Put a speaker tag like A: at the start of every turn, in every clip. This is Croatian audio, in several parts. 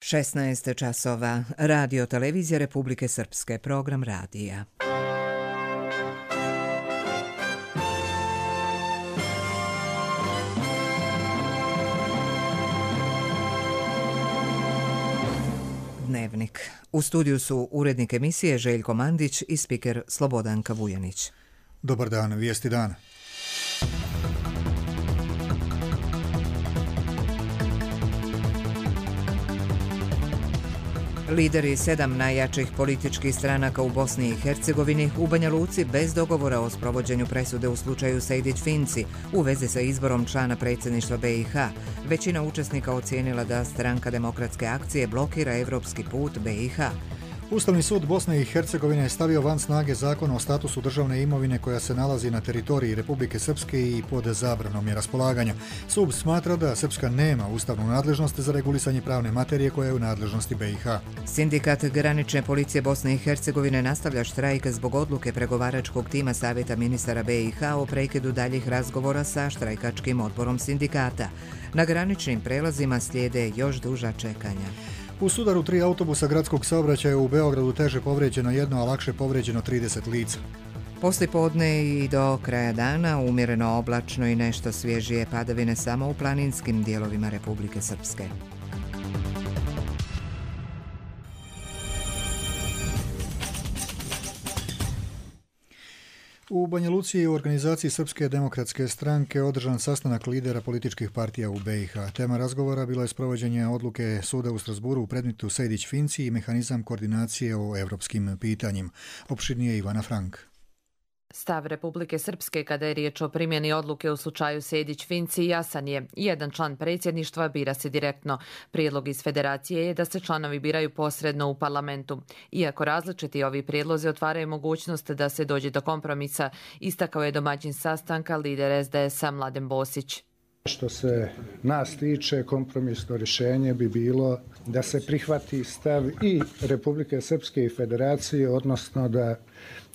A: 16 časova. Radio televizija Republike Srpske. Program radija. Dnevnik. U studiju su urednik emisije Željko Mandić i spiker Slobodanka Vujanić.
B: Dobar dan, vijesti dana.
A: Lideri 7 najjačih političkih stranaka u Bosni i Hercegovini u Banja Luci bez dogovora o sprovođenju presude u slučaju Sejdić-Finci u vezi sa izborom člana predsjedništva BiH. Većina učesnika ocijenila da Stranka demokratske akcije blokira evropski put BiH.
B: Ustavni sud Bosne i Hercegovine je stavio van snage zakon o statusu državne imovine koja se nalazi na teritoriji Republike Srpske i pod zabranom je raspolaganja. Sud smatra da Srpska nema ustavnu nadležnost za regulisanje pravne materije koja je u nadležnosti BiH.
A: Sindikat granične policije Bosne i Hercegovine nastavlja štrajk zbog odluke pregovaračkog tima Savjeta ministara BiH o prekidu daljih razgovora sa štrajkačkim odborom sindikata. Na graničnim prelazima slijede još duža čekanja.
B: U sudaru 3 autobusa gradskog saobraćaja u Beogradu teže povrijeđeno 1, a lakše povrijeđeno 30 lica.
A: Poslijepodne i do kraja dana umjereno oblačno i nešto svježije padavine samo u planinskim dijelovima Republike Srpske.
B: U Banja Luci u organizaciji Srpske demokratske stranke održan sastanak lidera političkih partija u BiH. Tema razgovora bilo je sprovođenje odluke suda u Strasburu u predmetu Sejdić-Finci i mehanizam koordinacije o evropskim pitanjima. Opširnije Ivana Frank.
C: Stav Republike Srpske kada je riječ o primjeni odluke u slučaju Sejdić-Finci jasan je. Jedan član predsjedništva bira se direktno. Prijedlog iz federacije je da se članovi biraju posredno u parlamentu. Iako različiti ovi prijedlozi otvaraju mogućnost da se dođe do kompromisa, istakao je domaćin sastanka lider SDS-a Mladen Bosić.
D: Što se nas tiče, kompromisno rješenje bi bilo da se prihvati stav i Republike Srpske i federacije, odnosno da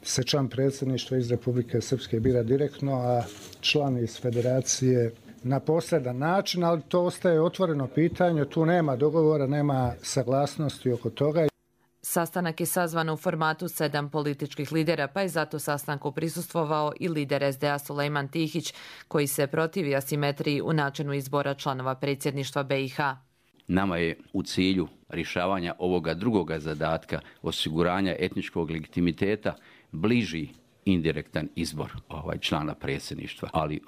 D: se član predsjedništva iz Republike Srpske bira direktno, a član iz federacije na posredan način, ali to ostaje otvoreno pitanje, tu nema dogovora, nema saglasnosti oko toga.
C: Sastanak je sazvan u formatu 7 političkih lidera, pa je zato sastanku prisustvovao i lider SDA Sulejman Tihić, koji se protivi asimetriji u načinu izbora članova predsjedništva BiH.
E: Nama je u cilju rješavanja ovoga drugoga zadatka, osiguranja etničkog legitimiteta, bliži indirektan izbor člana predsjedništva, ali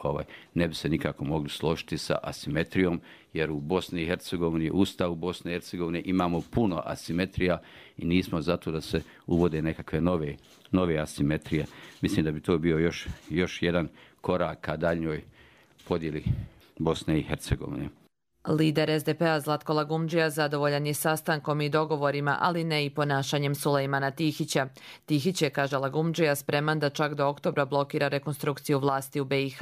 E: ne bi se nikako mogli složiti sa asimetrijom, jer u Bosni i Hercegovini, Ustavu Bosne i Hercegovine imamo puno asimetrija i nismo zato da se uvode nekakve nove asimetrije. Mislim da bi to bio još jedan korak ka daljnjoj podjeli Bosne i Hercegovine.
C: Lider SDP-a Zlatko Lagumdžija zadovoljan je sastankom i dogovorima, ali ne i ponašanjem Sulejmana Tihića. Tihić je, kaže Lagumdžija, spreman da čak do oktobra blokira rekonstrukciju vlasti u BiH.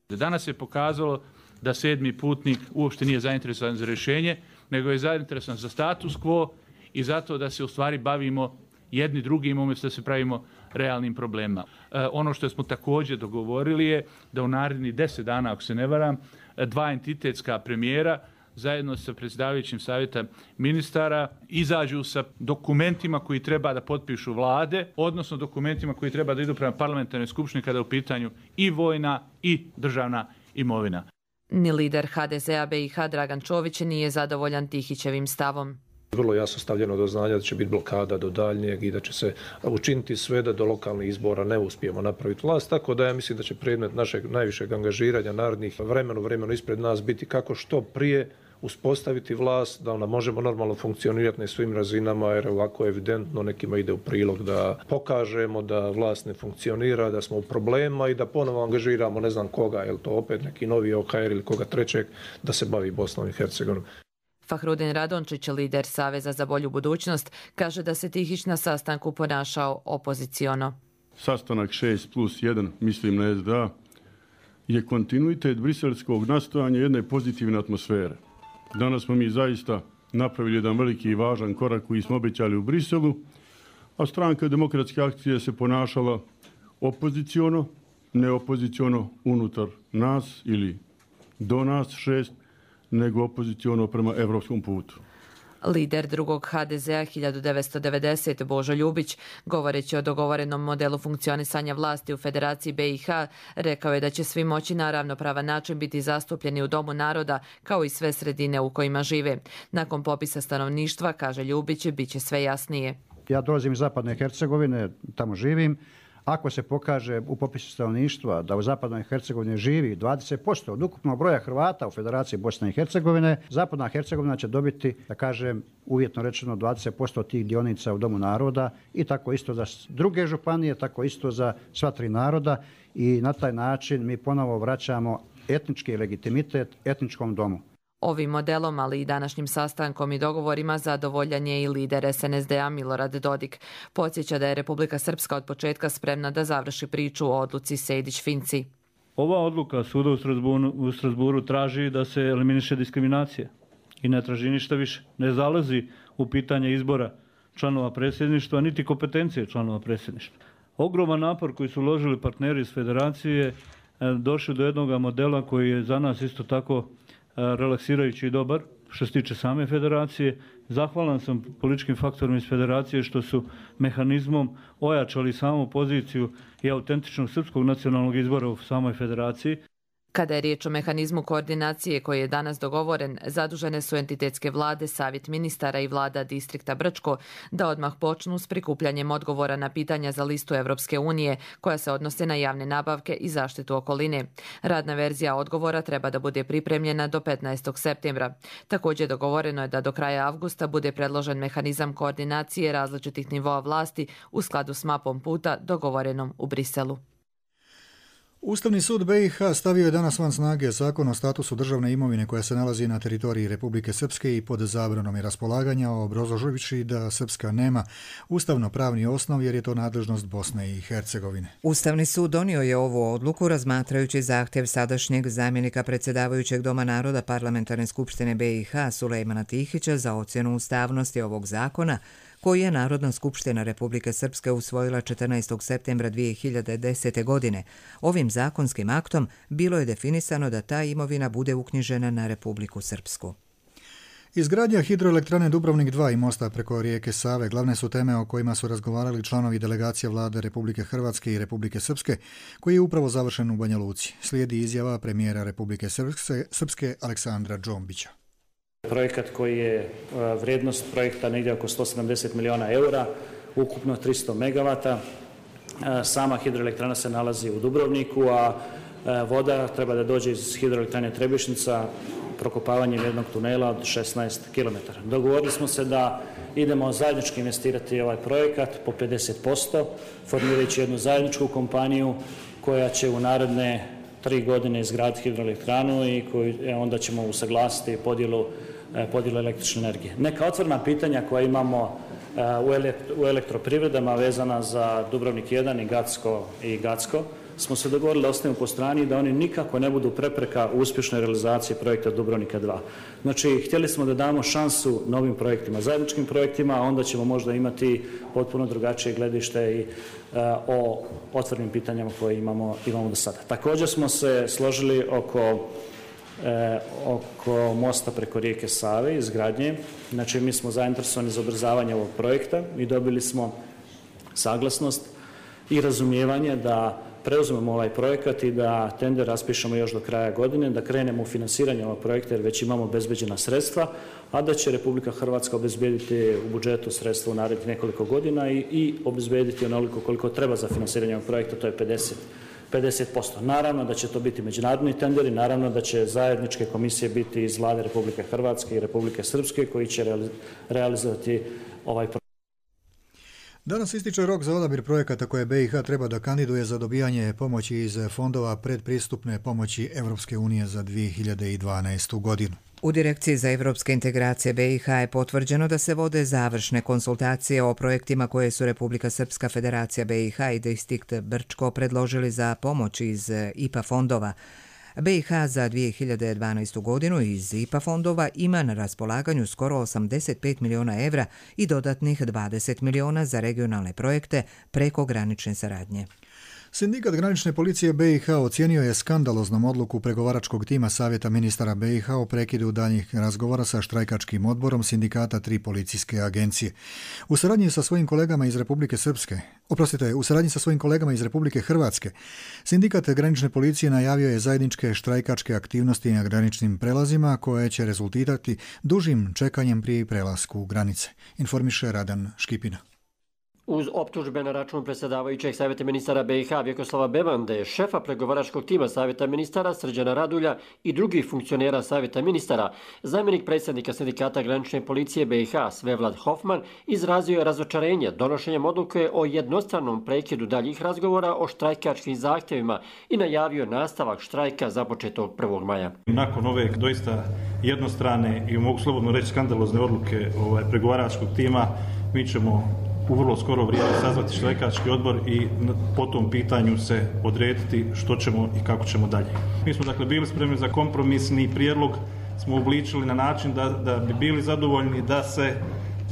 F: Danas je pokazalo da 7. putnik uopšte nije zainteresovan za rješenje, nego je zainteresovan za status quo i zato da se u stvari bavimo jedni drugim umjesto da se pravimo realnim problemima. Ono što smo također dogovorili je da u narednih 10 dana, ako se ne varam, 2 entitetska premijera zajedno sa predsjedavajućim savjeta ministara izađu sa dokumentima koji treba da potpišu vlade, odnosno dokumentima koji treba da idu prema parlamentarnoj skupštini kada je u pitanju i vojna i državna imovina.
C: Ni lider HDZ-a BiH Dragan Čović nije zadovoljan Tihićevim stavom.
G: Vrlo jasno stavljeno do znanja da će biti blokada do daljnjeg i da će se učiniti sve da do lokalnih izbora ne uspijemo napraviti vlast. Tako da ja mislim da će predmet našeg najvišeg angažiranja narednih vremenu ispred nas biti kako što prije uspostaviti vlast, da ona možemo normalno funkcionirati na svim razinama, jer ovako evidentno nekima ide u prilog da pokažemo da vlast ne funkcionira, da smo u problema i da ponovo angažiramo ne znam koga, je li to opet neki novi OHR ili koga trećeg, da se bavi Bosnom i Hercegovinom.
C: Fahrudin Radončić, lider Saveza za bolju budućnost, kaže da se Tihić na sastanku ponašao opoziciono.
H: Sastanak 6+1, mislim na SDA, je kontinuitet briselskog nastojanja jedne pozitivne atmosfere. Danas smo mi zaista napravili jedan veliki i važan korak koji smo obećali u Briselu, a Stranka demokratske akcije se ponašala opoziciono, ne opoziciono unutar nas ili do nas 6, nego opoziciono prema evropskom putu.
C: Lider drugog HDZ-a 1990. Božo Ljubić, govoreći o dogovorenom modelu funkcionisanja vlasti u Federaciji BiH, rekao je da će svi moći na ravnopravan način biti zastupljeni u Domu naroda, kao i sve sredine u kojima žive. Nakon popisa stanovništva, kaže Ljubić, bit će sve jasnije.
I: Ja dolazim iz Zapadne Hercegovine, tamo živim. Ako se pokaže u popisu stanovništva da u Zapadnoj Hercegovini živi 20% od ukupnog broja Hrvata u Federaciji Bosne i Hercegovine, Zapadna Hercegovina će dobiti, da kažem, uvjetno rečeno 20% tih dionica u Domu naroda i tako isto za druge županije, tako isto za sva tri naroda i na taj način mi ponovo vraćamo etnički legitimitet etničkom domu.
C: Ovim modelom, ali i današnjim sastankom i dogovorima zadovoljan je i lider SNSD-a Milorad Dodik. Podsjeća da je Republika Srpska od početka spremna da završi priču o odluci Sejdić-Finci.
J: Ova odluka suda u Strasburu traži da se eliminiše diskriminacija i ne traži ništa više. Ne zalazi u pitanje izbora članova predsjedništva, niti kompetencije članova predsjedništva. Ogroman napor koji su uložili partneri iz Federacije došli do jednog modela koji je za nas isto tako relaksirajući i dobar što se tiče same federacije. Zahvalan sam političkim faktorima iz federacije što su mehanizmom ojačali samu poziciju i autentičnog srpskog nacionalnog izbora u samoj federaciji.
C: Kada je riječ o mehanizmu koordinacije koji je danas dogovoren, zadužene su entitetske vlade, savjet ministara i vlada distrikta Brčko da odmah počnu s prikupljanjem odgovora na pitanja za listu Evropske unije koja se odnose na javne nabavke i zaštitu okoline. Radna verzija odgovora treba da bude pripremljena do 15. septembra. Također dogovoreno je da do kraja avgusta bude predložen mehanizam koordinacije različitih nivoa vlasti u skladu s mapom puta dogovorenom u Briselu.
B: Ustavni sud BiH stavio je danas van snage zakon o statusu državne imovine koja se nalazi na teritoriji Republike Srpske i pod zabranom je raspolaganja, obrazloživši da Srpska nema ustavno-pravni osnov jer je to nadležnost Bosne i Hercegovine.
A: Ustavni sud donio je ovu odluku razmatrajući zahtjev sadašnjeg zamjenika predsjedavajućeg Doma naroda Parlamentarne skupštine BiH Sulejmana Tihića za ocjenu ustavnosti ovog zakona, koji je Narodna skupština Republike Srpske usvojila 14. septembra 2010. godine. Ovim zakonskim aktom bilo je definisano da ta imovina bude uknjižena na Republiku Srpsku.
B: Izgradnja hidroelektrane Dubrovnik 2 i mosta preko rijeke Save glavne su teme o kojima su razgovarali članovi delegacija vlade Republike Hrvatske i Republike Srpske, koji je upravo završen u Banja Luci. Slijedi izjava premijera Republike Srpske Aleksandra Džombića.
K: Projekat koji je vrijednost projekta negdje oko 170 miliona eura, ukupno 300 megavata. Sama hidroelektrana se nalazi u Dubrovniku, a voda treba da dođe iz hidroelektrane Trebišnica prokopavanjem jednog tunela od 16 km. Dogovorili smo se da idemo zajednički investirati ovaj projekat po 50%, formirajući jednu zajedničku kompaniju koja će u naredne 3 godine izgraditi hidroelektranu i onda ćemo usaglasiti podjelu električne energije. Neka otvorena pitanja koja imamo u elektroprivredama vezana za Dubrovnik 1 i Gacko smo se dogovorili da ostavimo po strani da oni nikako ne budu prepreka u uspješnoj realizaciji projekta Dubrovnika 2. Znači, htjeli smo da damo šansu novim projektima, zajedničkim projektima, a onda ćemo možda imati potpuno drugačije gledište i o otvorenim pitanjama koje imamo do sada. Također smo se složili oko mosta preko rijeke Save, izgradnje. Znači, mi smo zainteresovani za ubrzavanje ovog projekta i dobili smo saglasnost i razumijevanje da preuzmemo ovaj projekat i da tender raspišemo još do kraja godine, da krenemo u finansiranje ovog projekta jer već imamo obezbeđena sredstva, a da će Republika Hrvatska obezbediti u budžetu sredstva u narednih nekoliko godina i obezbediti onoliko koliko treba za finansiranje ovog projekta, to je 50%. Naravno da će to biti međunarodni tenderi, naravno da će zajedničke komisije biti iz vlade Republike Hrvatske i Republike Srpske koji će realizovati ovaj projekt.
B: Danas ističe rok za odabir projekata koje BiH treba da kandiduje za dobijanje pomoći iz fondova predpristupne pomoći Evropske unije za 2012. godinu.
A: U Direkciji za evropske integracije BiH je potvrđeno da se vode završne konsultacije o projektima koje su Republika Srpska, Federacija BiH i distrikt Brčko predložili za pomoć iz IPA fondova. BiH za 2012. godinu iz IPA fondova ima na raspolaganju skoro 85 miliona evra i dodatnih 20 miliona za regionalne projekte preko granične saradnje.
B: Sindikat granične policije BiH ocijenio je skandaloznom odluku pregovaračkog tima Savjeta ministara BiH o prekidu daljnjih razgovora sa štrajkačkim odborom sindikata 3 policijske agencije. U saradnji sa svojim kolegama iz Republike Hrvatske, sindikat granične policije najavio je zajedničke štrajkačke aktivnosti na graničnim prelazima koje će rezultirati dužim čekanjem pri prelasku granice, informiše Radan Škipina.
L: Uz optužbe na račun predsjedavajućeg Savjeta ministara BiH Vjekoslava Bevande, šefa pregovaračkog tima Savjeta ministara Srđana Radulja i drugih funkcionera Savjeta ministara, zamjenik predsjednika sindikata granične policije BiH Svevlad Hofman izrazio je razočarenje donošenjem odluke o jednostranom prekidu daljih razgovora o štrajkačkim zahtjevima i najavio nastavak štrajka započetog 1. maja.
M: Nakon ove doista jednostrane i mogu slobodno reći skandalozne odluke pregovaračkog tima, mi ćemo u vrlo skoro vrijeme sazvati štrajkački odbor i po tom pitanju se odrediti što ćemo i kako ćemo dalje. Mi smo dakle bili spremni za kompromisni prijedlog, smo obličili na način da bi bili zadovoljni da se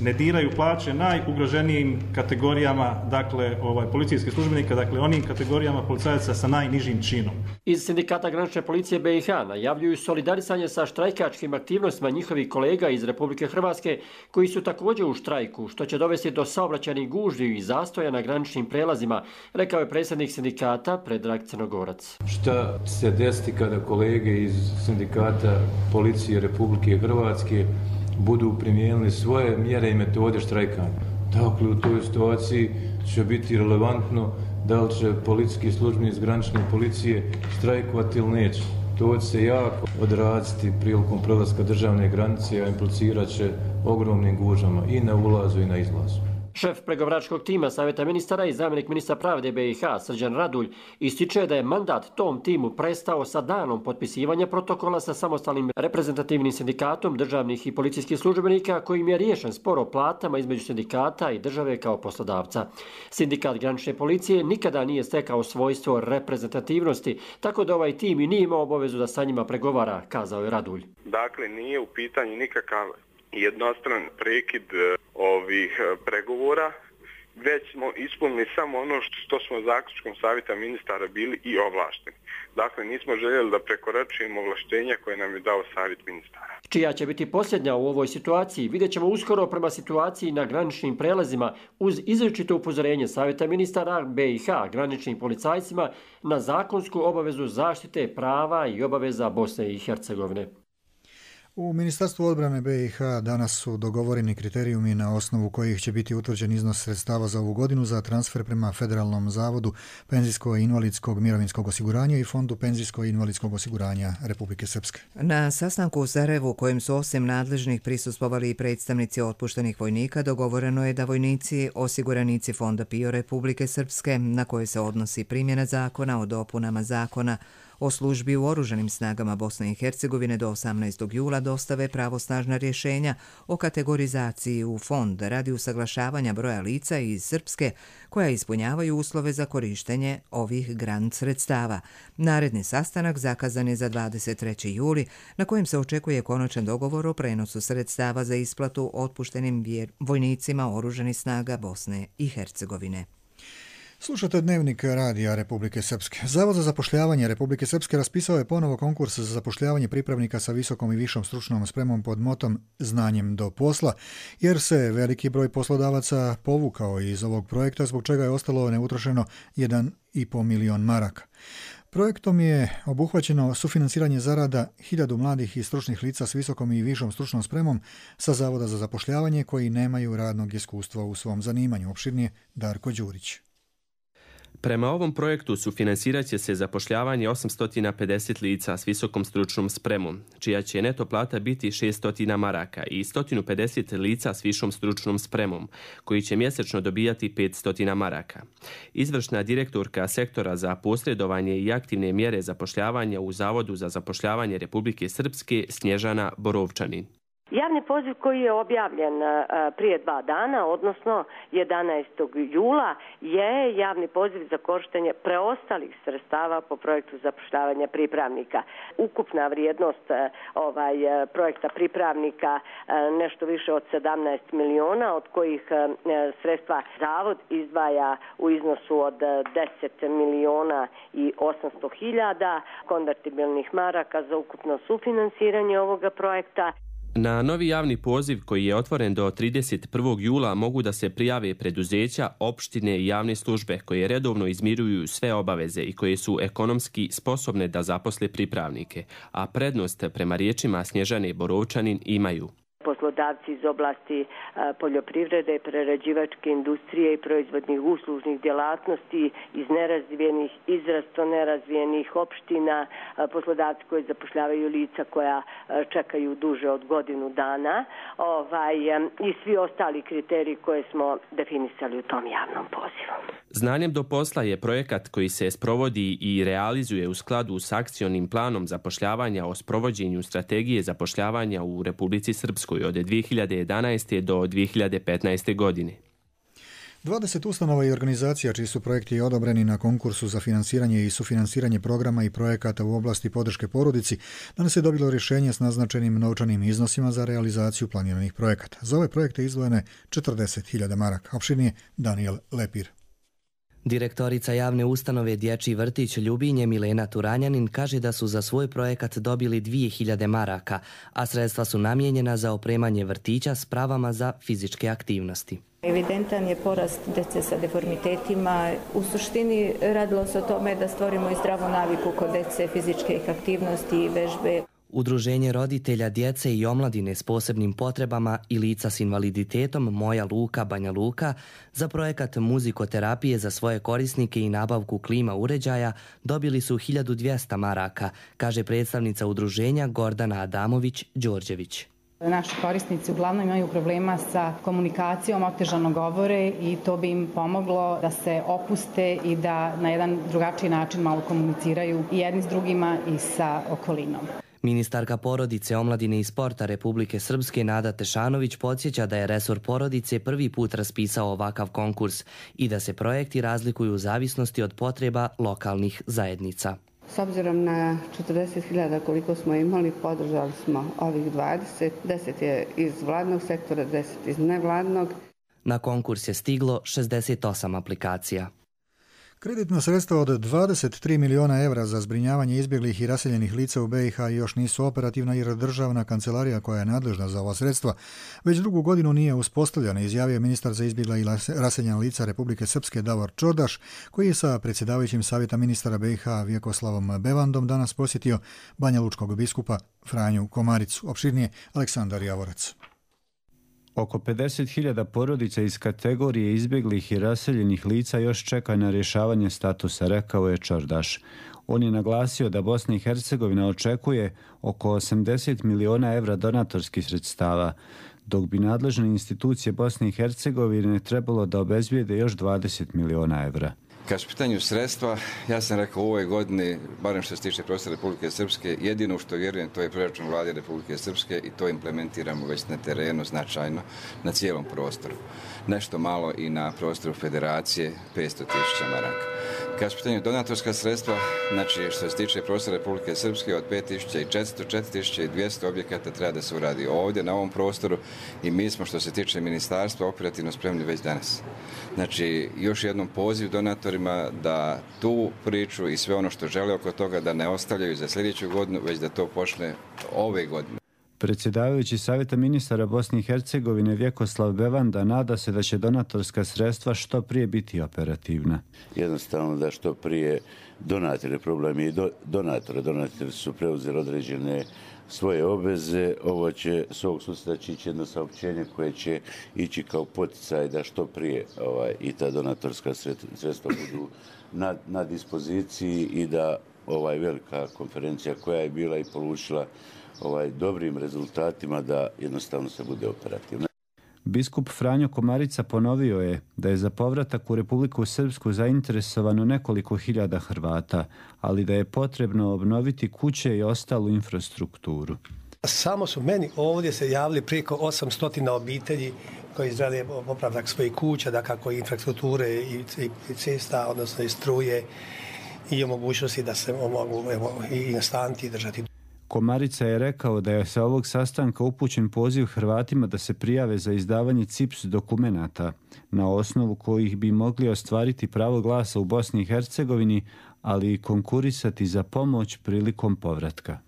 M: ne diraju plaće najugroženijim kategorijama, dakle policijskih službenika, dakle onim kategorijama policajaca sa najnižim činom.
L: Iz sindikata granične policije BiH najavljuju solidarisanje sa štrajkačkim aktivnostima njihovih kolega iz Republike Hrvatske koji su također u štrajku, što će dovesti do saobraćajnih gužvi i zastoja na graničnim prelazima, rekao je predsjednik sindikata Predrag Crnogorac.
N: Šta se desiti kada kolege iz sindikata policije Republike Hrvatske budu primijenili svoje mjere i metode štrajkanja? Dakle, u toj situaciji će biti relevantno da li će policijski službenici iz granične policije štrajkovati ili neće. To će se jako odraziti prilikom prelaska državne granice, a implicirat će ogromnim gužvama i na ulazu i na izlazu.
L: Šef pregovaračkog tima Savjeta ministara i zamjenik ministra pravde BiH Srđan Radulj ističe da je mandat tom timu prestao sa danom potpisivanja protokola sa samostalnim reprezentativnim sindikatom državnih i policijskih službenika kojim je riješen spor o platama između sindikata i države kao poslodavca. Sindikat granične policije nikada nije stekao svojstvo reprezentativnosti, tako da ovaj tim i nije imao obavezu da sa njima pregovara, kazao je Radulj.
O: Dakle, nije u pitanju nikakav jednostran prekid ovih pregovora, već smo ispunili samo ono što smo zaključkom Savjeta ministara bili i ovlašteni. Dakle, nismo željeli da prekoračujemo ovlaštenja koje nam je dao Savjet ministara.
L: Čija će biti posljednja u ovoj situaciji, vidjet ćemo uskoro prema situaciji na graničnim prelazima uz izričito upozorenje Savjeta ministara BiH graničnim policajcima na zakonsku obavezu zaštite prava i obaveza Bosne i Hercegovine.
B: U Ministarstvu odbrane BiH danas su dogovoreni kriterijumi na osnovu kojih će biti utvrđen iznos sredstava za ovu godinu za transfer prema Federalnom zavodu penzijsko-invalidskog mirovinskog osiguranja i Fondu penzijsko-invalidskog osiguranja Republike Srpske.
A: Na sastanku u Sarajevu, kojem su osim nadležnih prisustvovali i predstavnici otpuštenih vojnika, dogovoreno je da vojnici, osiguranici Fonda PIO Republike Srpske, na koje se odnosi primjena zakona o dopunama zakona o službi u oružanim snagama Bosne i Hercegovine do 18. jula dostave pravosnažna rješenja o kategorizaciji u fond radi usaglašavanja broja lica iz Srpske koja ispunjavaju uslove za korištenje ovih grant sredstava. Naredni sastanak zakazan je za 23. juli, na kojem se očekuje konačan dogovor o prenosu sredstava za isplatu otpuštenim vojnicima oružanih snaga Bosne i Hercegovine.
B: Slušate Dnevnik radija Republike Srpske. Zavod za zapošljavanje Republike Srpske raspisao je ponovo konkurs za zapošljavanje pripravnika sa visokom i višom stručnom spremom pod motom Znanjem do posla, jer se veliki broj poslodavaca povukao iz ovog projekta, zbog čega je ostalo neutrošeno 1,5 milion maraka. Projektom je obuhvaćeno sufinansiranje zarada 1000 mladih i stručnih lica s visokom i višom stručnom spremom sa Zavoda za zapošljavanje koji nemaju radnog iskustva u svom zanimanju. Opširnije Darko Đurić.
P: Prema ovom projektu sufinancirat će se zapošljavanje 850 lica s visokom stručnom spremom, čija će neto plata biti 600 maraka i 150 lica s višom stručnom spremom, koji će mjesečno dobijati 500 maraka. Izvršna direktorka sektora za posredovanje i aktivne mjere zapošljavanja u Zavodu za zapošljavanje Republike Srpske Snježana Borovčanin.
Q: Javni poziv koji je objavljen prije 2 dana, odnosno 11. jula, je javni poziv za korištenje preostalih sredstava po projektu zapošljavanja pripravnika. Ukupna vrijednost projekta pripravnika nešto više od 17 miliona, od kojih sredstva Zavod izdvaja u iznosu od 10 miliona i 800 hiljada konvertibilnih maraka za ukupno sufinansiranje ovoga projekta.
P: Na novi javni poziv koji je otvoren do 31. jula mogu da se prijave preduzeća, opštine i javne službe koje redovno izmiruju sve obaveze i koje su ekonomski sposobne da zaposle pripravnike, a prednost prema riječima Snježane Borovčanin imaju
Q: poslodavci iz oblasti poljoprivrede, prerađivačke industrije i proizvodnih uslužnih djelatnosti iz nerazvijenih, izrazito nerazvijenih opština, poslodavci koji zapošljavaju lica koja čekaju duže od godinu dana i svi ostali kriteriji koje smo definisali u tom javnom pozivu.
P: Znanjem do posla je projekat koji se sprovodi i realizuje u skladu s akcionim planom zapošljavanja o sprovođenju strategije zapošljavanja u Republici Srpskoj od 2011. do 2015. godine.
B: 20 ustanova i organizacija čiji su projekti odobreni na konkursu za finansiranje i sufinansiranje programa i projekata u oblasti podrške porodici danas je dobilo rješenje s naznačenim novčanim iznosima za realizaciju planiranih projekata. Za ove projekte izdvojene 40.000 maraka. Opširnije Daniel Lepir.
R: Direktorica javne ustanove Dječji vrtić Ljubinje Milena Turanjanin kaže da su za svoj projekat dobili 2.000 maraka, a sredstva su namijenjena za opremanje vrtića s pravama za fizičke aktivnosti.
S: Evidentan je porast djece sa deformitetima. U suštini radilo se o tome da stvorimo i zdravu naviku kod djece, fizičke aktivnosti i vežbe.
R: Udruženje roditelja djece i omladine s posebnim potrebama i lica s invaliditetom Moja Luka Banja Luka za projekat muzikoterapije za svoje korisnike i nabavku klima uređaja dobili su 1.200 maraka, kaže predstavnica udruženja Gordana Adamović-Đorđević.
T: Naši korisnici uglavnom imaju problema sa komunikacijom, otežano govore i to bi im pomoglo da se opuste i da na jedan drugačiji način malo komuniciraju i jedni s drugima i sa okolinom.
R: Ministarka porodice, omladine i sporta Republike Srpske Nada Tešanović podsjeća da je resor porodice prvi put raspisao ovakav konkurs i da se projekti razlikuju u zavisnosti od potreba lokalnih zajednica.
U: S obzirom na 40.000 koliko smo imali, podržali smo ovih 20. 10 je iz vladnog sektora, 10 iz nevladnog.
R: Na konkurs je stiglo 68 aplikacija.
B: Kreditna sredstva od 23 miliona evra za zbrinjavanje izbjeglih i raseljenih lica u BiH još nisu operativna jer državna kancelarija koja je nadležna za ova sredstva već drugu godinu nije uspostavljena, izjavio ministar za izbjegla i raseljena lica Republike Srpske Davor Čordaš, koji je sa predsjedavajućim savjeta ministara BiH Vjekoslavom Bevandom danas posjetio banjalučkog biskupa Franju Komaricu. Opširnije Aleksandar Javorac.
V: Oko 50.000 porodica iz kategorije izbjeglih i raseljenih lica još čeka na rješavanje statusa, rekao je Čordaš. On je naglasio da Bosna i Hercegovina očekuje oko 80 miliona evra donatorskih sredstava, dok bi nadležne institucije Bosne i Hercegovine trebalo da obezbijede još 20 miliona evra.
W: Kad su pitanju sredstva, ja sam rekao u ovoj godini, barem što se tiče prostora Republike Srpske, jedino što vjerujem to je proračun vlade Republike Srpske i to implementiramo već na terenu značajno na cijelom prostoru. Nešto malo i na prostoru federacije 500.000 maraka. Kad su pitanju donatorska sredstva, znači što se tiče prostora Republike Srpske od 5.400, 4.200 objekata treba da se uradi ovdje na ovom prostoru i mi smo što se tiče ministarstva operativno spremni već danas. Znači još jednom poziv donatorima da tu priču i sve ono što žele oko toga da ne ostavljaju za sljedeću godinu, već da to počne ove godine.
V: Predsjedavajući savjeta ministara Bosne i Hercegovine Vjekoslav Bevanda nada se da će donatorska sredstva što prije biti operativna.
X: Jednostavno da što prije donatori, problem je i donatori su preuzeli određene svoje obveze. Ovo će s ovog susreta ići jedno saopćenje koje će ići kao poticaj da što prije i ta donatorska sredstva budu na dispoziciji i da velika konferencija koja je bila i polučila dobrim rezultatima da jednostavno se bude operativna.
V: Biskup Franjo Komarica ponovio je da je za povratak u Republiku Srpsku zainteresovano nekoliko hiljada Hrvata, ali da je potrebno obnoviti kuće i ostalu infrastrukturu.
D: Samo su meni ovdje se javili preko 800 obitelji koji žele popravak svojih kuća, da kako i infrastrukture i cesta, odnosno i struje i o mogućnosti da se mogu i nastaniti i držati.
V: Komarica je rekao da je sa ovog sastanka upućen poziv Hrvatima da se prijave za izdavanje CIPS dokumenata, na osnovu kojih bi mogli ostvariti pravo glasa u Bosni i Hercegovini, ali i konkurisati za pomoć prilikom povratka.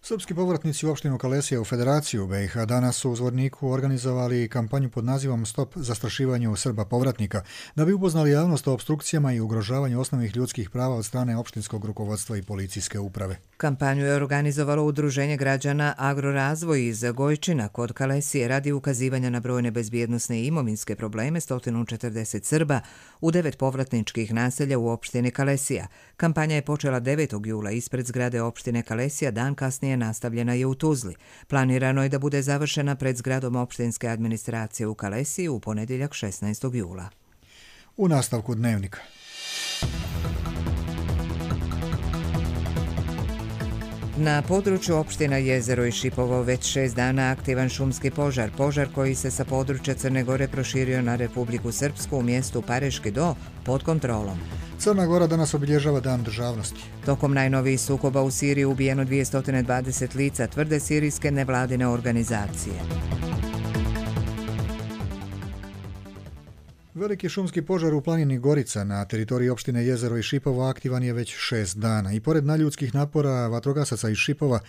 B: Srpski povratnici u opštinu Kalesija u Federaciju BiH danas su u Zvorniku organizovali kampanju pod nazivom Stop zastrašivanju Srba povratnika, da bi upoznali javnost o opstrukcijama i ugrožavanju osnovnih ljudskih prava od strane opštinskog rukovodstva i policijske uprave.
A: Kampanju je organizovalo Udruženje građana Agrorazvoj iz Gojčina kod Kalesije radi ukazivanja na brojne bezbjednosne i imovinske probleme 140 Srba u 9 povratničkih naselja u opštini Kalesija. Kampanja je počela 9. jula ispred zgrade opštine Kalesija, dan kasnije nastavljena je u Tuzli. Planirano je da bude završena pred zgradom opštinske administracije u Kalesiji u ponedjeljak 16. jula.
B: U nastavku dnevnika.
A: Na području opština Jezero i Šipovo već 6 dana aktivan šumski požar. Požar koji se sa područja Crne Gore proširio na Republiku Srpsku u mjestu Pareški Do pod kontrolom.
B: Crna Gora danas obilježava Dan državnosti.
A: Tokom najnovijih sukoba u Siriji ubijeno 220 lica, tvrde sirijske nevladine organizacije.
B: Veliki šumski požar u planini Gorica na teritoriji opštine Jezero i Šipovo aktivan je već 6 dana i pored nadljudskih napora vatrogasaca iz Šipova,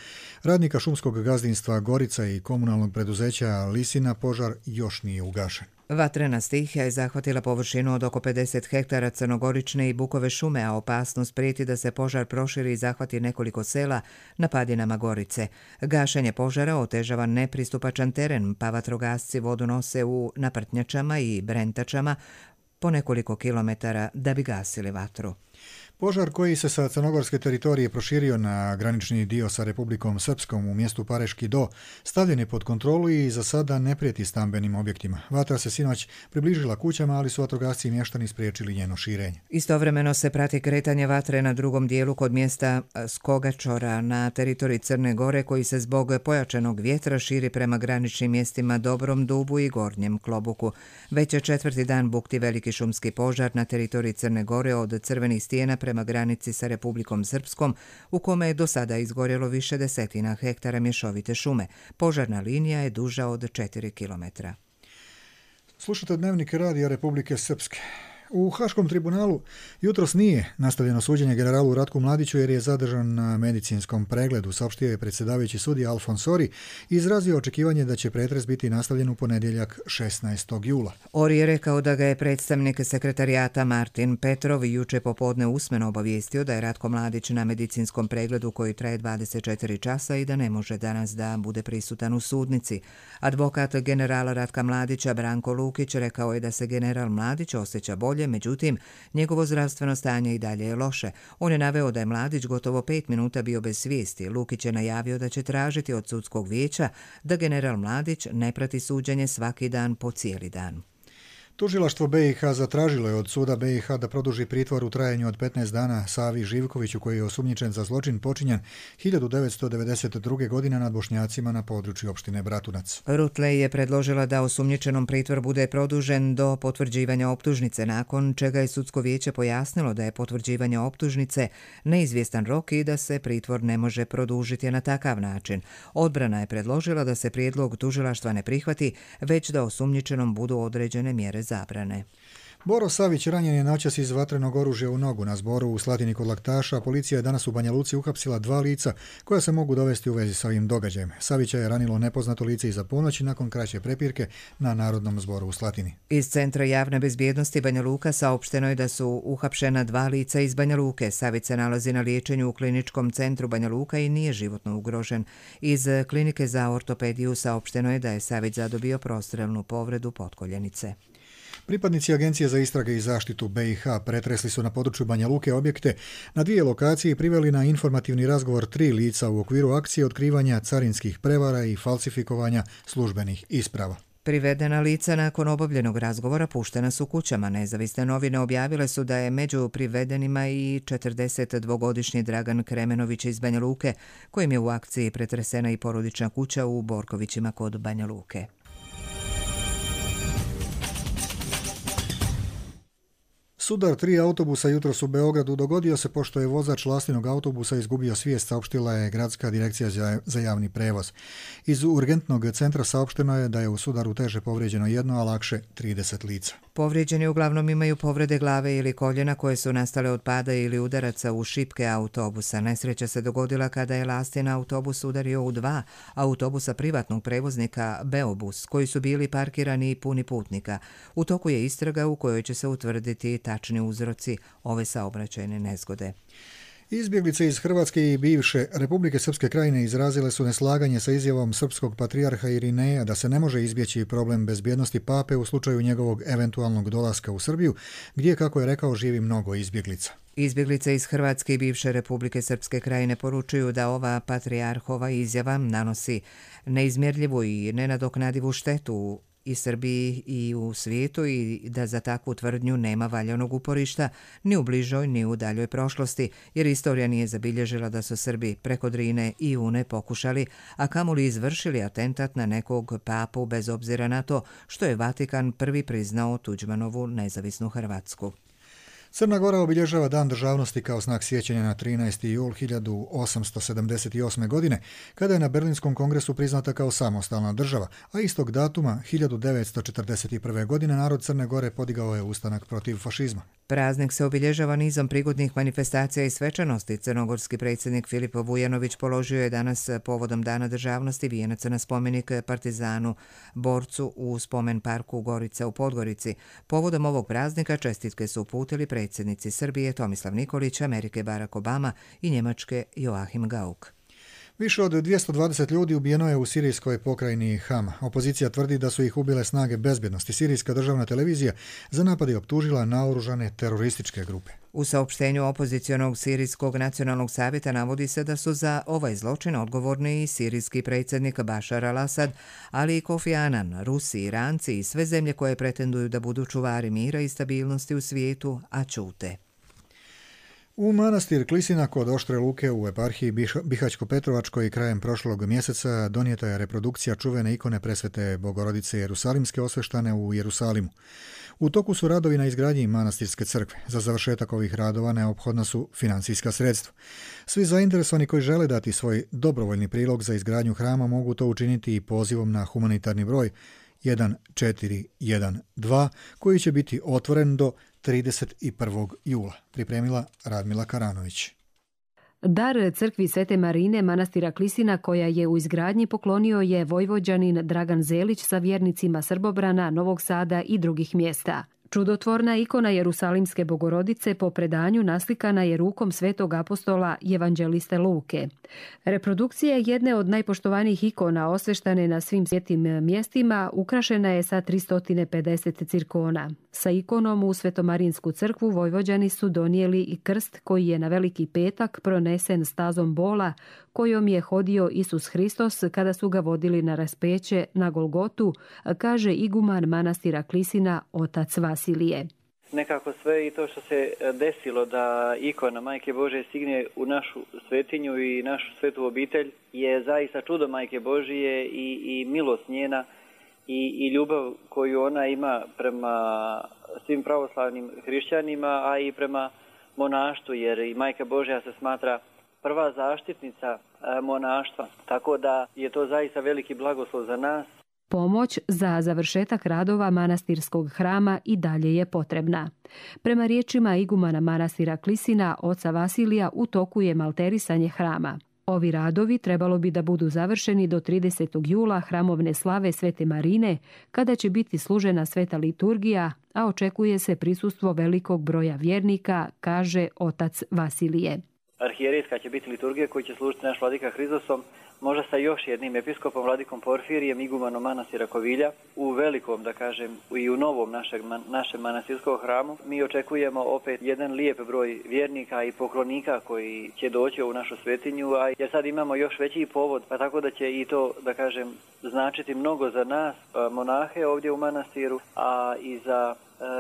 B: radnika šumskog gazdinstva Gorica i komunalnog preduzeća Lisina, požar još nije ugašen.
A: Vatrena stihija je zahvatila površinu od oko 50 hektara crnogorične i bukove šume, a opasnost prijeti da se požar proširi i zahvati nekoliko sela na padinama Gorice. Gašenje požara otežava nepristupačan teren, pa vatrogasci vodu nose u naprtnjačama i brentačama po nekoliko kilometara da bi gasili vatru.
B: Požar koji se sa crnogorske teritorije proširio na granični dio sa Republikom Srpskom u mjestu Pareški Do stavljen je pod kontrolu i za sada ne prijeti stambenim objektima. Vatra se sinoć približila kućama, ali su vatrogasci i mještani spriječili njeno širenje.
A: Istovremeno se prati kretanje vatre na drugom dijelu kod mjesta Skogačora na teritoriji Crne Gore, koji se zbog pojačanog vjetra širi prema graničnim mjestima Dobrom Dubu i Gornjem Klobuku. Već je 4. dan bukti veliki šumski požar na teritoriji Crne Gore od Crvenih stijena prema granici sa Republikom Srpskom, u kome je do sada izgorjelo više desetina hektara mješovite šume. Požarna linija je duža od 4 kilometra.
B: Slušate dnevnik Radija Republike Srpske. U Haškom tribunalu jutros nije nastavljeno suđenje generalu Ratku Mladiću jer je zadržan na medicinskom pregledu, saopštio je predsjedavajući sudija Alfons Ori i izrazio očekivanje da će pretres biti nastavljen u ponedjeljak 16. jula.
A: Ori je rekao da ga je predstavnik sekretarijata Martin Petrov juče popodne usmeno obavijestio da je Ratko Mladić na medicinskom pregledu koji traje 24 časa i da ne može danas da bude prisutan u sudnici. Advokat generala Ratka Mladića Branko Lukić rekao je da se general Mladić osjeća bolje, međutim, njegovo zdravstveno stanje i dalje je loše. On je naveo da je Mladić gotovo 5 minuta bio bez svijesti. Lukić je najavio da će tražiti od sudskog vijeća da general Mladić ne prati suđenje svaki dan po cijeli dan.
B: Tužilaštvo BiH zatražilo je od suda BiH da produži pritvor u trajanju od 15 dana Savi Živkoviću, koji je osumnjičen za zločin počinjen 1992. godine nad Bošnjacima na području opštine Bratunac.
A: Rutlej je predložila da osumnjičenom pritvor bude produžen do potvrđivanja optužnice, nakon čega je sudsko vijeće pojasnilo da je potvrđivanje optužnice neizvjestan rok i da se pritvor ne može produžiti na takav način. Odbrana je predložila da se prijedlog tužilaštva ne prihvati, već da osumnjičenom budu određene mjere zabrane.
B: Boro Savić ranjen je noćas iz vatrenog oružja u nogu na Zboru u Slatini kod Laktaša. Policija je danas u Banja Luci uhapsila 2 lica koja se mogu dovesti u vezi sa ovim događajem. Savića je ranilo nepoznato lice iza ponoći nakon kraće prepirke na Narodnom zboru u Slatini.
A: Iz Centra javne bezbjednosti Banja Luka saopšteno je da su uhapšena 2 lica iz Banja Luke. Savić se nalazi na liječenju u kliničkom centru Banja Luka i nije životno ugrožen. Iz klinike za ortopediju saopšteno je da je Savić zadobio prostrelnu povredu potkoljenice.
B: Pripadnici Agencije za istrage i zaštitu BiH pretresli su na području Banja Luke objekte na 2 lokacije i priveli na informativni razgovor 3 lica u okviru akcije otkrivanja carinskih prevara i falsifikovanja službenih isprava.
A: Privedena lica nakon obavljenog razgovora puštena su kućama. Nezavisne novine objavile su da je među privedenima i 42-godišnji Dragan Kremenović iz Banja Luke, kojim je u akciji pretresena i porodična kuća u Borkovićima kod Banja Luke.
B: Sudar 3 autobusa jutros u Beogradu dogodio se pošto je vozač lastinog autobusa izgubio svijest, saopštila je Gradska direkcija za javni prevoz. Iz urgentnog centra saopšteno je da je u sudaru teže povrijeđeno 1, a lakše 30 lica.
A: Povrijeđeni uglavnom imaju povrede glave ili koljena koje su nastale od pada ili udaraca u šipke autobusa. Nesreća se dogodila kada je lastin autobus udario u 2 autobusa privatnog prevoznika Beobus, koji su bili parkirani i puni putnika. U toku je istraga u kojoj će se utvrditi tačni uzroci ove saobraćajne nezgode.
B: Izbjeglice iz Hrvatske i bivše Republike Srpske krajine izrazile su neslaganje sa izjavom srpskog patrijarha Irineja da se ne može izbjeći problem bezbjednosti pape u slučaju njegovog eventualnog dolaska u Srbiju, gdje, kako je rekao, živi mnogo izbjeglica.
A: Izbjeglice iz Hrvatske i bivše Republike Srpske krajine poručuju da ova patrijarhova izjava nanosi neizmjerljivu i nenadoknadivu štetu i Srbiji i u svijetu i da za takvu tvrdnju nema valjanog uporišta ni u bližoj ni u daljoj prošlosti, jer istorija nije zabilježila da su Srbi preko Drine i Une pokušali, a kamoli izvršili atentat na nekog papu bez obzira na to što je Vatikan prvi priznao Tuđmanovu nezavisnu Hrvatsku.
B: Crna Gora obilježava Dan državnosti kao znak sjećanja na 13. jul 1878. godine, kada je na Berlinskom kongresu priznata kao samostalna država, a istog datuma 1941. godine narod Crne Gore podigao je ustanak protiv fašizma.
A: Praznik se obilježava nizom prigodnih manifestacija i svečanosti. Crnogorski predsjednik Filip Vujanović položio je danas povodom Dana državnosti vijenac na spomenik partizanu borcu u spomen parku Gorica u Podgorici. Povodom ovog praznika čestitke su uputili predsjednici Srbije Tomislav Nikolić, Amerike Barack Obama i Njemačke Joachim Gauck.
B: Više od 220 ljudi ubijeno je u sirijskoj pokrajini Hama. Opozicija tvrdi da su ih ubile snage bezbjednosti. Sirijska državna televizija za napad je optužila naoružane terorističke grupe.
A: U saopštenju opozicionog Sirijskog nacionalnog savjeta navodi se da su za ovaj zločin odgovorni i sirijski predsjednik Bašar al-Asad, ali i Kofi Anan, Rusi, Iranci i sve zemlje koje pretenduju da budu čuvari mira i stabilnosti u svijetu, a ćute.
B: U manastir Klisina kod Oštre Luke u eparhiji Bihać-Petrovačkoj krajem prošlog mjeseca donijeta je reprodukcija čuvene ikone presvete Bogorodice Jerusalimske osveštane u Jerusalimu. U toku su radovi na izgradnji manastirske crkve. Za završetak ovih radova neophodna su financijska sredstva. Svi zainteresovani koji žele dati svoj dobrovoljni prilog za izgradnju hrama mogu to učiniti i pozivom na humanitarni broj 1412 koji će biti otvoren do 31. jula, pripremila Radmila Karanović.
E: Dar crkvi Svete Marine manastira Klisina, koja je u izgradnji, poklonio je vojvođanin Dragan Zelić sa vjernicima Srbobrana, Novog Sada i drugih mjesta. Čudotvorna ikona Jerusalimske Bogorodice po predanju naslikana je rukom svetog apostola evanđeliste Luke. Reprodukcija jedne od najpoštovanijih ikona osveštane na svim svijetim mjestima ukrašena je sa 350 cirkona. Sa ikonom u Svetomarinsku crkvu Vojvođani su donijeli i krst koji je na Veliki petak pronesen stazom bola kojom je hodio Isus Hristos kada su ga vodili na raspeće na Golgotu, kaže iguman manastira Klisina otac Vasilije.
F: Nekako sve i to što se desilo da ikona Majke Božje stigne u našu svetinju i našu svetu obitelj je zaista čudo Majke Božje i milost njena i ljubav koju ona ima prema svim pravoslavnim hrišćanima, a i prema monaštvu, jer i Majka Božja se smatra prva zaštitnica monaštva, tako da je to zaista veliki blagoslov za nas.
E: Pomoć za završetak radova manastirskog hrama i dalje je potrebna. Prema riječima igumana manastira Klisina, oca Vasilija, u toku je malterisanje hrama. Ovi radovi trebalo bi da budu završeni do 30. jula hramovne slave Svete Marine, kada će biti služena sveta liturgija, a očekuje se prisustvo velikog broja vjernika, kaže otac Vasilije.
F: arhijerejska će biti liturgija koju će služiti naš vladika Hrizosom, možda sa još jednim episkopom, vladikom Porfirijem, igumanom manastira Kovilja, u velikom, da kažem, i u novom našem manastirskom hramu. Mi očekujemo opet jedan lijep broj vjernika i poklonika koji će doći u našu svetinju, a jer sad imamo još veći povod, pa tako da će i to, da kažem, značiti mnogo za nas, monahe ovdje u manastiru, a i za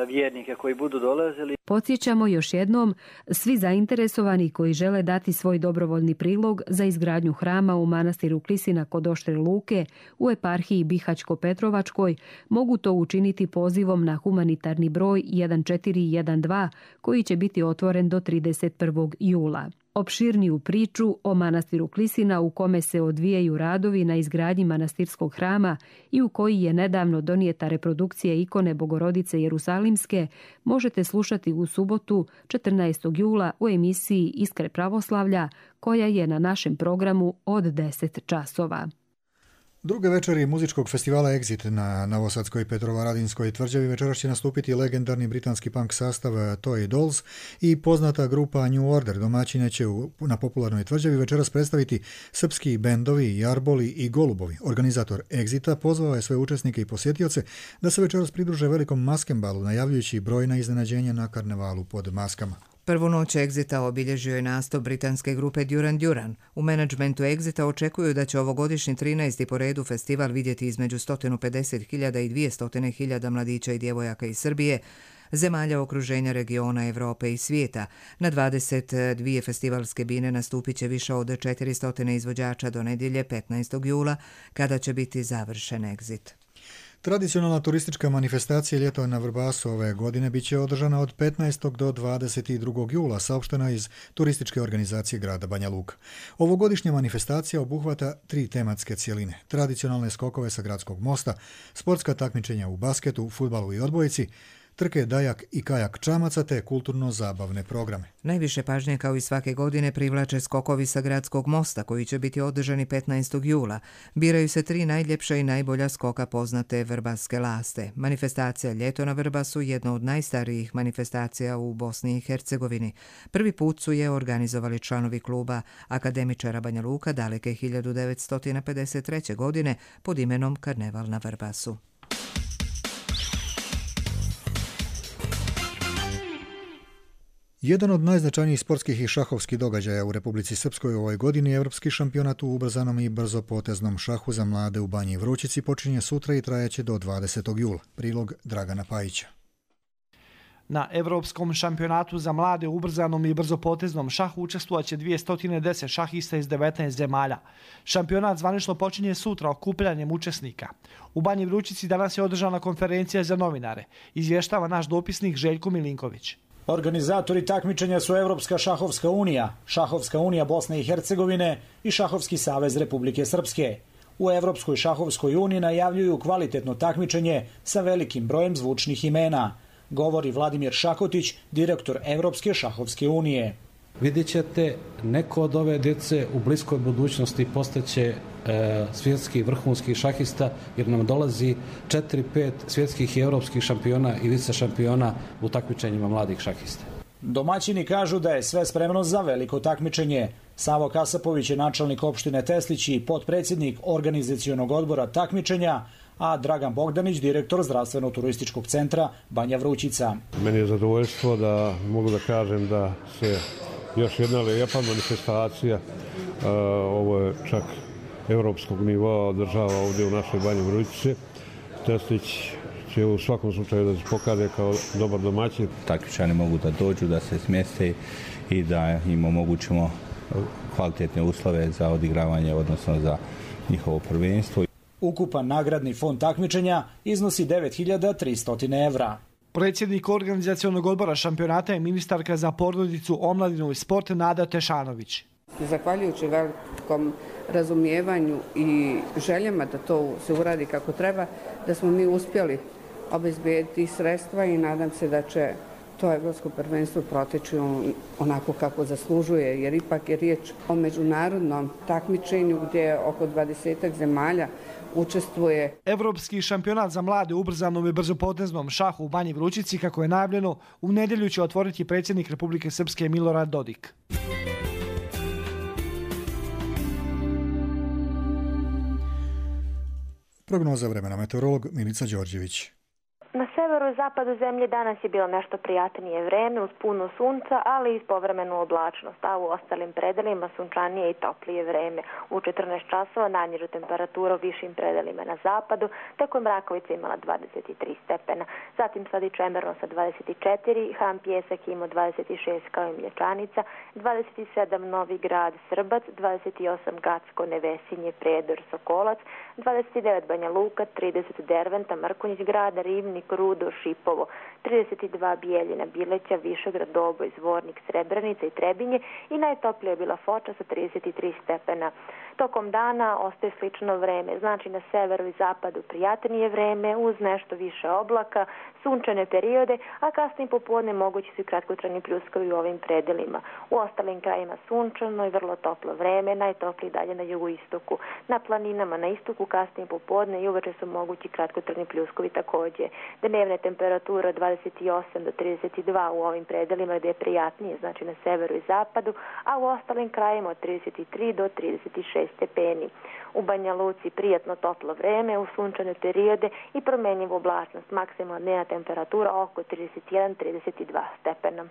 F: vjernike koji budu dolazili.
E: Podsjećamo još jednom, svi zainteresovani koji žele dati svoj dobrovoljni prilog za izgradnju hrama u manastiru Klisina kod Oštre Luke u eparhiji Bihaćko-Petrovačkoj mogu to učiniti pozivom na humanitarni broj 1412 koji će biti otvoren do 31. jula. Opširniju priču o manastiru Klisina u kome se odvijaju radovi na izgradnji manastirskog hrama i u koji je nedavno donijeta reprodukcija ikone Bogorodice Jerusalimske možete slušati u subotu 14. jula u emisiji Iskre pravoslavlja koja je na našem programu od 10 časova.
B: Druge večeri muzičkog festivala Exit na novosadskoj Petrovaradinskoj tvrđavi večeras će nastupiti legendarni britanski punk sastav Toy Dolls i poznata grupa New Order. Domaćine će na popularnoj tvrđavi večeras predstaviti srpski bendovi Jarboli i Golubovi. Organizator Exita pozvao je sve učesnike i posjetioce da se večeras pridruže velikom maskembalu, najavljujući brojna iznenađenja na karnevalu pod maskama.
A: Prvu noć Exita obilježio je nastup britanske grupe Duran Duran. U menadžmentu Exita očekuju da će ovogodišnji 13. po redu festival vidjeti između 150.000 i 200.000 mladića i djevojaka iz Srbije, zemalja okruženja, regiona, Europe i svijeta. Na 22 festivalske bine nastupit će više od 400 izvođača do nedjelje 15. jula, kada će biti završen Exit.
B: Tradicionalna turistička manifestacija Ljeto na Vrbasu ove godine bit će održana od 15. do 22. jula, saopštena iz turističke organizacije grada Banja Luka. Ovogodišnja manifestacija obuhvata 3 tematske cjeline: tradicionalne skokove sa gradskog mosta, sportska takmičenja u basketu, fudbalu i odbojci, trke dajak i kajak čamaca te kulturno-zabavne programe.
A: Najviše pažnje kao i svake godine privlače skokovi sa gradskog mosta koji će biti održani 15. jula. Biraju se 3 najljepša i najbolja skoka poznate vrbaske laste. Manifestacija Ljeto na Vrbasu je jedna od najstarijih manifestacija u Bosni i Hercegovini. Prvi put su je organizovali članovi kluba akademičara Banja Luka daleke 1953. godine pod imenom Karneval na Vrbasu.
B: Jedan od najznačajnijih sportskih i šahovskih događaja u Republici Srpskoj u ovoj godini je Evropski šampionat u ubrzanom i brzopoteznom šahu za mlade u Banji Vrućici počinje sutra i trajaće do 20. jula. Prilog Dragana Pajića.
G: Na Evropskom šampionatu za mlade u ubrzanom i brzopoteznom šahu učestvovaće 210 šahista iz 19 zemalja. Šampionat zvanično počinje sutra okupljanjem učesnika. U Banji Vrućici danas je održana konferencija za novinare. Izvještava naš dopisnik Željko Milinković.
H: Organizatori takmičenja su Evropska šahovska unija, Šahovska unija Bosne i Hercegovine i Šahovski savez Republike Srpske. U Evropskoj šahovskoj uniji najavljuju kvalitetno takmičenje sa velikim brojem zvučnih imena, govori Vladimir Šakotić, direktor Evropske šahovske unije.
I: Vidjet ćete, neko od ove djece u bliskoj budućnosti postaće svjetski vrhunski šahista, jer nam dolazi 4-5 svjetskih i europskih šampiona i vice šampiona u takmičenjima mladih šahista.
H: Domaćini kažu da je sve spremno za veliko takmičenje. Savo Kasapović je načelnik opštine Teslić i potpredsjednik organizacionog odbora takmičenja, a Dragan Bogdanić, direktor zdravstveno-turističkog centra Banja Vrućica.
J: Meni je zadovoljstvo da mogu da kažem da se još jedna lijepa manifestacija, ovo je čak evropskog nivoa, održava ovdje u našoj Banji Vrućici. Teslić će u svakom slučaju da se pokaže kao dobar domaćin.
Y: Takmičari mogu da dođu, da se smjeste i da im omogućimo kvalitetne uslove za odigravanje, odnosno za njihovo prvenstvo.
H: Ukupan nagradni fond takmičenja iznosi 9.300 evra.
G: Predsjednik organizacionog odbora šampionata je ministarka za porodicu, omladinu i sport Nada Tešanović.
U: Zahvaljujući velikom razumijevanju i željama da to se uradi kako treba, da smo mi uspjeli obezbediti sredstva i nadam se da će to evropsko prvenstvo proteći onako kako zaslužuje, jer ipak je riječ o međunarodnom takmičenju gdje oko 20 zemalja učestvuje.
G: Evropski šampionat za mlade u ubrzanom i brzopoteznom šahu u Banji Vrućici, kako je najavljeno, u nedjelju će otvoriti predsjednik Republike Srpske Milorad Dodik.
B: Prognoza vremena, meteorolog Milica Đorđević.
C: Na severu i zapadu zemlje danas je bilo nešto prijatnije vreme uz puno sunca, ali i povremenu oblačnost, a u ostalim predelima sunčanije i toplije vreme. U 14 časova najnižu temperaturu u višim predelima na zapadu, tako je Mrakovica imala 23 stepena. Zatim sad i Čemerno sa 24, Ham Pjesak imao 26 kao i Mlječanica, 27 Novi Grad, Srbac, 28 Gacko, Nevesinje, Prijedor, Sokolac, 29 Banja Luka, 30 Derventa, Mrkonjić Grad, Rivnik, Rudo, Šipovo, 32 Bijeljina, Bileća, Višegrad, Doboj, Zvornik, Srebrenica i Trebinje i najtoplija je bila Foča sa 33 stepena. Tokom dana ostaje slično vreme, znači na severu i zapadu prijatnije vreme uz nešto više oblaka, sunčane periode, a kasnije popodne mogući su i kratkotrajni pljuskovi u ovim predelima. U ostalim krajima sunčano i vrlo toplo vreme, najtopliji dalje na jugoistoku. Na planinama na istoku kasnije popodne i uveče su mogući kratkotrajni pljuskovi također. Dnevne temperature 28 do 32 u ovim predelima gdje je prijatnije, znači na severu i zapadu, a u ostalim krajima od 33 do 36 stepeni. U Banja Luci prijatno toplo vreme, u sunčane periode i promjenjivu oblačnost, maksimalna dnevna temperatura oko 31-32 stepena.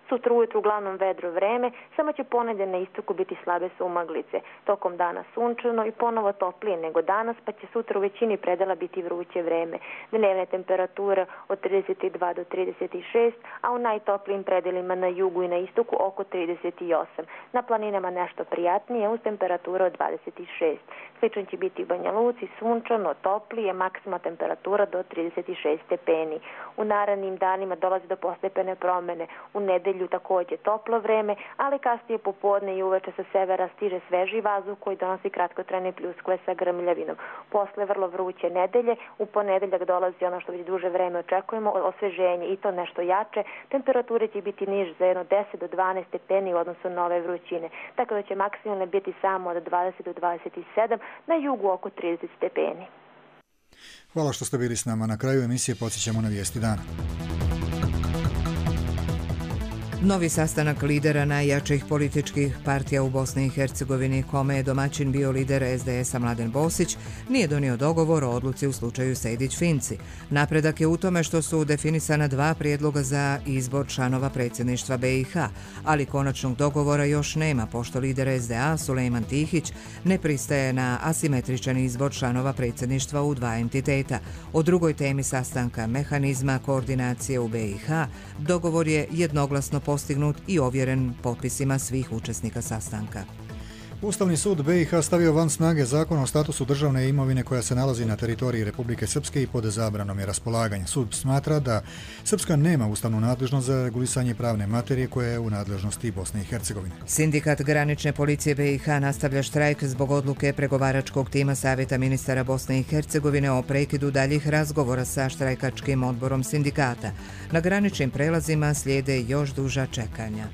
C: Sutra ujutru uglavnom vedro vreme, samo će ponedje na istoku biti slabe sumaglice. Tokom dana sunčano i ponovo toplije nego danas, pa će sutra u većini predela biti vruće vreme. Dnevne temperature od 32 do 36, a u najtoplijim predelima na jugu i na istoku oko 38. Na planinama nešto prijatnije uz temperaturu od 26. Slično će biti u Banja Luci, sunčano, toplije, maksimalna temperatura do 36 stepeni. U narednim danima dolazi do postepene promjene. U nedelju također toplo vreme, ali kasnije popodne i uveče sa severa stiže sveži vazduh koji donosi kratkotrajne pljuskove sa grmljavinom. Posle vrlo vruće nedelje, u ponedeljak dolazi ono što već duže vreme očekujemo, osveženje i to nešto jače. Temperature će biti niže za jedno 10 do 12 stepeni u odnosu na ove vrućine, tako da će maksimalno biti samo od 20 do 27, na jugu oko 30 stepeni.
B: Hvala što ste bili s nama. Na kraju emisije podsjećamo na vijesti dana.
A: Novi sastanak lidera najjačih političkih partija u Bosni i Hercegovini, kome je domaćin bio lider SDS-a Mladen Bosić, nije donio dogovor o odluci u slučaju Sejdić-Finci. Napredak je u tome što su definisana 2 prijedloga za izbor članova predsjedništva BiH, ali konačnog dogovora još nema, pošto lider SDA Sulejman Tihić ne pristaje na asimetričan izbor članova predsjedništva u 2 entiteta. O drugoj temi sastanka, mehanizma koordinacije u BiH, dogovor je jednoglasno postignut i ovjeren potpisima svih učesnika sastanka.
B: Ustavni sud BiH stavio van snage zakon o statusu državne imovine koja se nalazi na teritoriji Republike Srpske i pod zabranom je raspolaganja. Sud smatra da Srpska nema ustavnu nadležnost za regulisanje pravne materije koja je u nadležnosti Bosne i Hercegovine.
A: Sindikat granične policije BiH nastavlja štrajk zbog odluke pregovaračkog tima Savjeta ministara Bosne i Hercegovine o prekidu daljih razgovora sa štrajkačkim odborom sindikata. Na graničnim prelazima slijede još duža čekanja.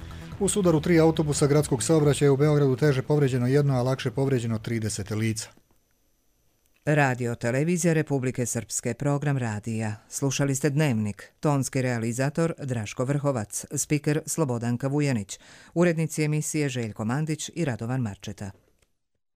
B: U sudaru 3 autobusa gradskog saobraćaja u Beogradu teže povređeno 1, a lakše povređeno 30 lica.
A: Radio Televizija Republike Srpske, program radija. Slušali ste Dnevnik. Tonski realizator Draško Vrhovac, spiker Slobodanka Vujanić, urednici emisije Željko Mandić i Radovan Marčeta.